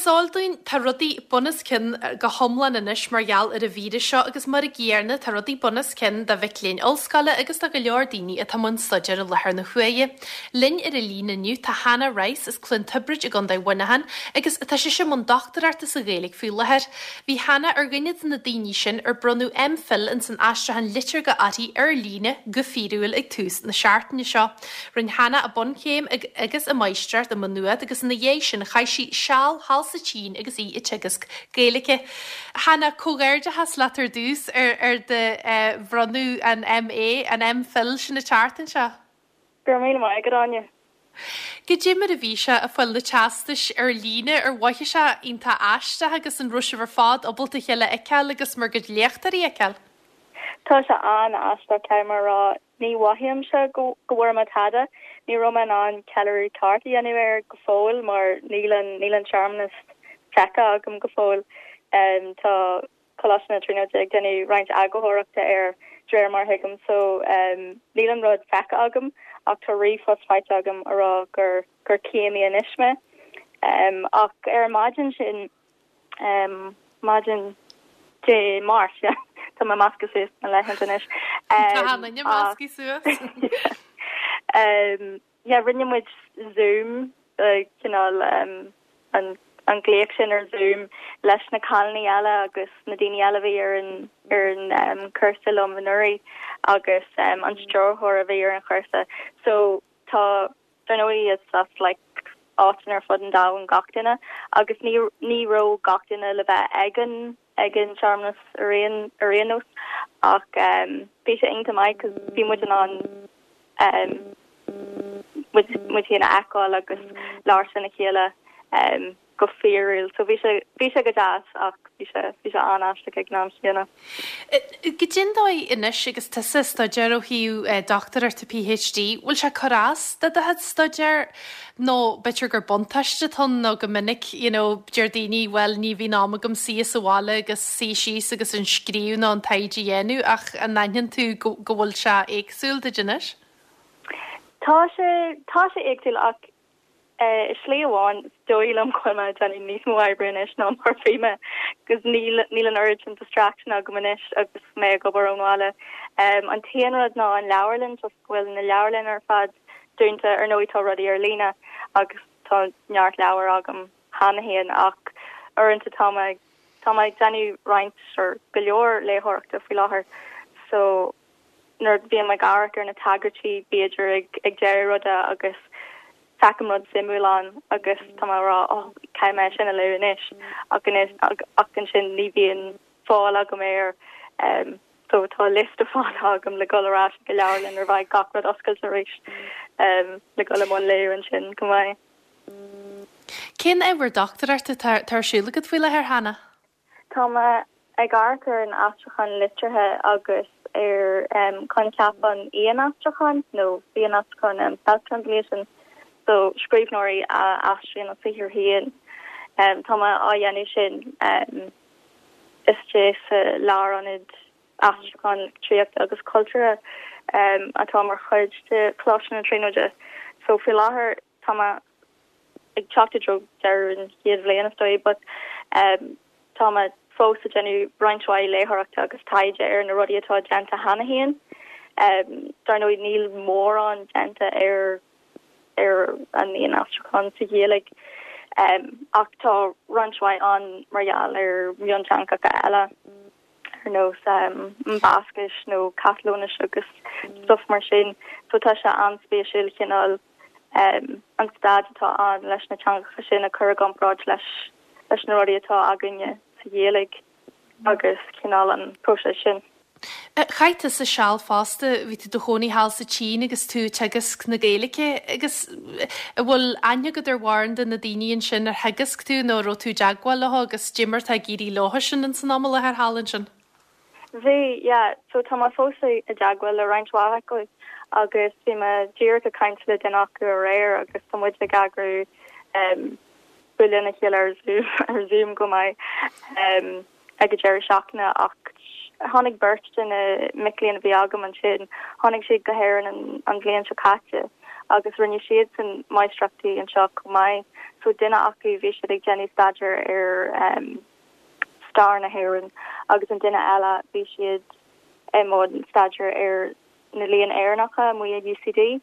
is eol dúinn, tá rudaí bun os cionn go hiomlán anois mar gheall ar an víreas seo agus mar an gcéanna tá rudaí bun os cionn do mhic léinn ollscoile agus do go leor daoine atá i mbun staidéir i láthair na huaire. Linn ar an líne inniu tá Hannah Rice as Cluain Tiobraid i gContae Mhuineacháin agus tá sise i mbun dochtúireachta sa Ghaeilge faoi láthair. Bhí Hannah ar dhuine de na daoine sin ar bronnadh MPhil ins an aistriúchán liteartha uirthi ar líne go fíorúil ag tús na seachtaine seo. Rinne Hannah a bunchéim agus a máistreacht i Maigh Nuad agus ina dhiaidh sin chaith sí seal thall sa tSín agus í ag teagasc Gaeilge. Hannah, comhghairdeachas leat ar dtús ar do bhronnadh an MA, an MPhil sin an tseachtain seo. Go raibh míle maith agat, Áine. Goidé mar a bhí sé ag fáil na teastais ar líne, ar mhothaigh sé iontach aisteach agus an raibh sibh ar fad ábalta a chéile a fheiceáil agus bhur gcuid léachtóirí a fheiceáil? Tá sé an-aisteach, caithfidh mé a rá. Ní mhothaímse go bhfuair mé tada. Ní raibh mé in ann ceiliúradh ceart a dhéanamh air go fóill mar níl an níl an searmanas feicthe agam go fóill. Tá Coláiste na Tríonóide ag déanamh roinnt eagarthóireachta air de réir mar a thuigim so níl an rud feicthe agam ach tá ríomhphost faighte agam a rá gur gur céimí anois mé. Ach ar an maidin sin Maidin Dé Máirt, yeah. Tá mé measctha suas na laethanta anois. Tá an duine measctha suas. Yeah, rinne muid Zoom, cineál an an glaoch sin ar Zoom leis na cailíní eile agus na daoine eile a bhí ar an ar an cúrsa liom anuraidh agus an stiúrthóir a bhí ar an chúrsa. So tá Dar ndóigh is as like áiteanna ar fud an domhain gach duine agus ní ní raibh gach duine le bheith ag an ag an searmanas ar aon ar aon nós ach um bhí sé iontach maith cos bhí muid in ann um muid muid féin a fheiceáil agus labhairt lena chéile um go fíorúil. So bhí sé, bhí sé go deas ach bhí sé, bhí sé an-aisteach ag an am chéanna. Goidé an dóigh anois agus tusa ag staidéar ó thaobh dochtúireachta PhD, bhfuil sé ag cur as do do chuid staidéir nó b'fhéidir gur buntáiste atá ann nó go minic you know deir daoine bhuel ní bhíonn am agam suí sa bhaile agus suí síos agus an scríobh nó an taighde a dhéanamh ach an aithníonn tú go go bhfuil sé éagsúil duit anois? Tá sé, tá sé éagsúil ach I slí amháin, is dóigh liom go bhfuil mé ag déanamh níos mó oibre anois ná mar a bhí mé, agus níl níl an oiread sin distraction agam anois agus mé ag obair ón bhaile. An t-aon rud ná an leabharlann, toisc go bhfuil na leabharlanna ar fad dúnta. Ar ndóigh tá rudaí ar líne agus tá neart leabhar agam cheana féin ach uaireanta tá mé tá mé ag déanamh roinnt or go leor léitheoireachta faoi láthair so nuair a bhím ag amharc ar na tagairtí b'fhéidir ag ag deireadh ruda agus feicim rud suimiúil ann agus tá mé ag rá oh caithfidh mé sin a lua anois ach anois ach ansin ní bhíonn fáil agam air um, so tá liosta fada agam le dul ar ais ag an leabharlann nuair a bheidh gach rud oscailte arís um, le dul i mbun léamh ansin go mbeidh. Cén ábhar dochtúireachta atá ar siúl agat faoi láthair, Hannah? Tá mé ag amharc ar an aistriúchán liteartha agus ar choincheap an fhéin-aistriúcháin nó féin-aistriúchán, self-translation, so scríbhneoirí a aistríonn a saothar féin. Tá mé á dhéanamh sin istigh sa Lárionad Aistriúcháin Litríochta agus Cultúrtha atá mar chuid de Choláiste na Tríonóide. So faoi láthair tá mé ag teacht i dtreo deireadh an chéad bhliain is dóigh but tá mé fós ag déanamh roinnt mhaith léitheoireachta agus taighde ar na rudaí atá déanta cheana féin. Dar ndóigh níl mórán déanta ar ar an fhéin-aistriúchán sa Ghaeilge ach tá roinnt mhaith ann mar gheall ar mhionteangacha eile ar nós an Bhascais nó Catalóinis agus stuff mar sin so tá sé an-spéisiúil cineál an staid atá ann leis na teangacha sin a chur i gcomparáid leis leis na rudaí atá againne sa Ghaeilge agus cineál an próiseas sin. Chaith tusa seal fosta, bhí tú i do chónaí thall sa tSín agus tú ag teagasc na Gaeilge agus an bhfuil aithne agat ar mhórán de na daoine ansin ar theagasc tú nó an raibh tú i dteagmháil leo agus goidé mar atá ag éirí leo sin ins an am i láthair thall ansin? Bhí, yeah. So tá mé fós i dteagmháil le roinnt mhaith acu agus bhí mé díreach ag caint le duine acu aréir agus tá muid ag eagrú um bualadh lena chéile ar Zoom ar Zoom go mbeidh um ag an deireadh seachtaine ach tháinig beirt de na mic léinn a bhí agam ansin, tháinig siad go hÉirinn an an bhliain seo caite. agus rinne siadsan máistreachtaí anseo chomh maith. So duine acu bhí siad ag déanamh staidéar ar stair na hÉireann agus an duine eile bhí siad i mbun staidéar ar na Léinn Éireannacha amuigh i UCD.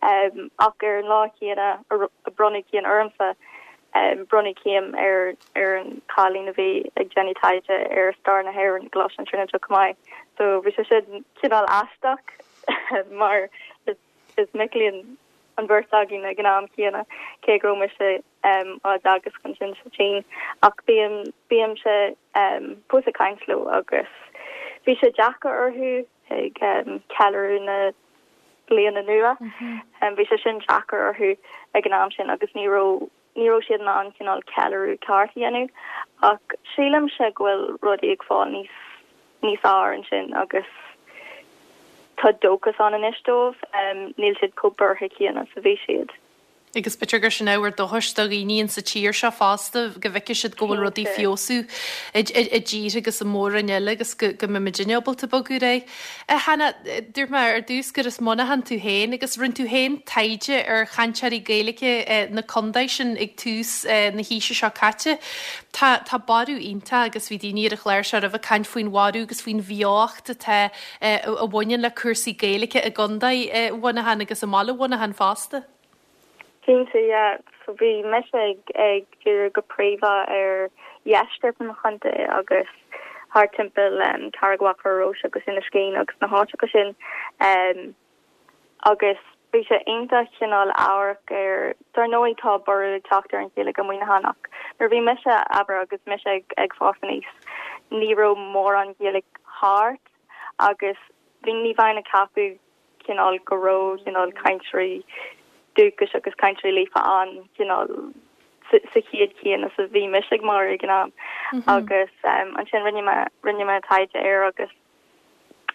Ach ar an lá céanna a bronnadh céim ormsa, bronnadh céim ar ar an chailín a bhí ag déanamh taighde ar stair na hÉireann i gColáiste na Tríonóide chomh maith. So bhí sé sin cineál aisteach mar is mic léinn an bheirt againn ag an am céanna, cé go raibh mise á dteagasc ansin sa tSín. Ach bím, bímse fós ag caint leo agus bhí sé deacair orthu ag ceiliúradh na bliana nua. Bhí sé sin deacair orthu ag an am sin agus ní raibh, ní raibh siad in ann cineál ceiliúradh ceart a dhéanamh. Ach sílimse go bhfuil rudaí ag fáil níos, níos fearr ansin agus tá dóchas ann anois dóibh. Níl siad chomh buartha céanna is a bhí siad. Agus b'fhéidir gur sin ábhar dóchais do dhaoine insa tír seo fosta, go bhfeicfidh siad go bhfuil rudaí ag feabhsú i dtíortha agus i mór-roinn eile agus go mbeidh muidinne ábalta bogadh ar aghaidh. A Hannah, dúirt mé ar dtús gur as Muineachán tú féin agus rinne tú féin taighde ar chainteoirí Gaeilge na contae sin ag tús na haoise seo caite. Tá tá borradh iontach agus bhí daoine ar an chlár seo roimhe ag caint faoin bhorradh agus faoin bheocht atá a bhaineann le cúrsaí Gaeilge i gContae Mhuineacháin agus i mbaile Mhuineacháin fosta. Cinnte, yeah. So bhí mise ag ag díriú go príomha ar dheisceart an chontae agus thart timpeall Carraig Mhachaire Rois agus Inis Caoin agus na háiteacha sin. Agus bhí sé iontach cineál amharc ar, dar ndóigh tá borradh ag teacht ar an Ghaeilge i Muineachán ach nuair a bhí mise, abair, agus mise ag ag fás aníos, ní raibh mórán Gaeilge thart agus bhí, ní bheinn ag ceapadh cineál go raibh cineál cainteoirí dúchais agus cainteoirí líofa ann cineál sa chéad chéanna is a bhí mise ag magadh ag an am agus ansin rinne mé, rinne mé taighde air agus.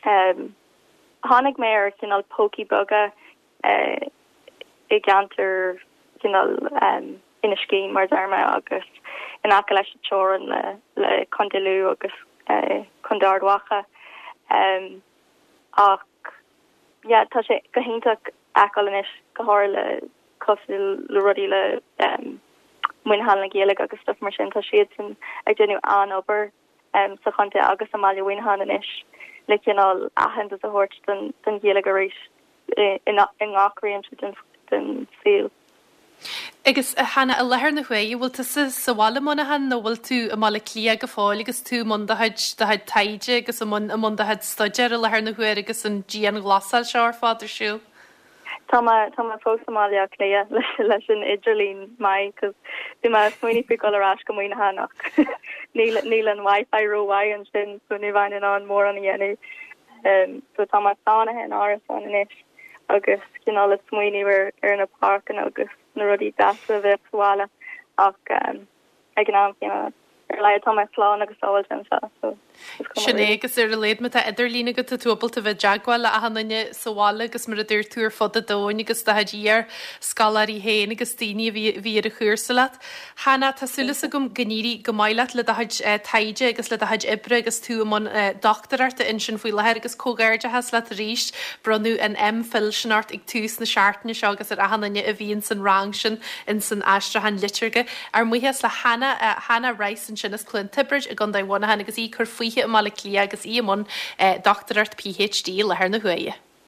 Tháinig mé ar chineál pócaí beaga i gceantar cineál Inis Caoin, mar a deir mé, agus in aice leis an teorainn le Contae Lú agus Contae Ard Mhacha. Ach yeah, tá sé go hiontach fheiceáil anois, go háirithe le cosúil le rudaí le Muineachán le Gaeilge agus stuff mar sin, tá siadsan ag déanamh an-obair. sa chontae agus i mbaile Mhuineacháin anois le cineál aitheantas a thabhairt don Ghaeilge arís i ngach réimse den saol. Agus a Hannah, i láthair na huaire, bhfuil tusa sa bhaile i Muineachán nó bhfuil tú i mBaile Átha Cliath go fóill agus tú i mbun do chuid, do chuid taighde agus i mbun, i mbun do chuid staidéir i láthair na huaire agus an dianghlasáil seo ar fad ar siúl? Tá mé, tá mé fós i mBaile Átha Cliath leis, leis an idirlíon maith 'cause bhí mé ag smaoineamh faoi dhul ar ais go Muineachán ach níl, níl an Wi-Fi rómhaith ansin so ní bheinn in ann mórán a dhéanamh. Um, so tá mé sáinnithe in árasán anois agus cineál ag smaoineamh ar, ar na páirceanna agus na rudaí deasa a bheadh sa bhaile ach um, ag an am céanna. Ar a laghad tá mé slán agus sábháilte anseo so is cuma Sin é really. agus ar a laghad má tá idirlíon agat tá tú ábalta bheith i dteagmháil le achan duine sa bhaile agus mar a dúirt tú ar fud an domhain agus do chuid iar-scoláirí féin agus daoine a bhí a bhí ar an chúrsa leat. Hannah, tá súil agam go n-éirí go maith leat le do chuid taighde agus le do chuid oibre agus tú i mbun dochtúireachta ansin faoi láthair agus comhghairdeachas leat arís. Bronnadh an M.Phil sin ort ag tús na seachtaine seo agus ar achan duine a bhí ins an rang sin ins an aistriúchán liteartha. Ár mbuíochas le Hannah, Hannah Rice ansin as Cluain Tiobraid i gContae Mhuineacháin agus í ag cur fúithi i mBaile Átha Cliath agus í i mbun dochtúireacht PhD i láthair na huaire.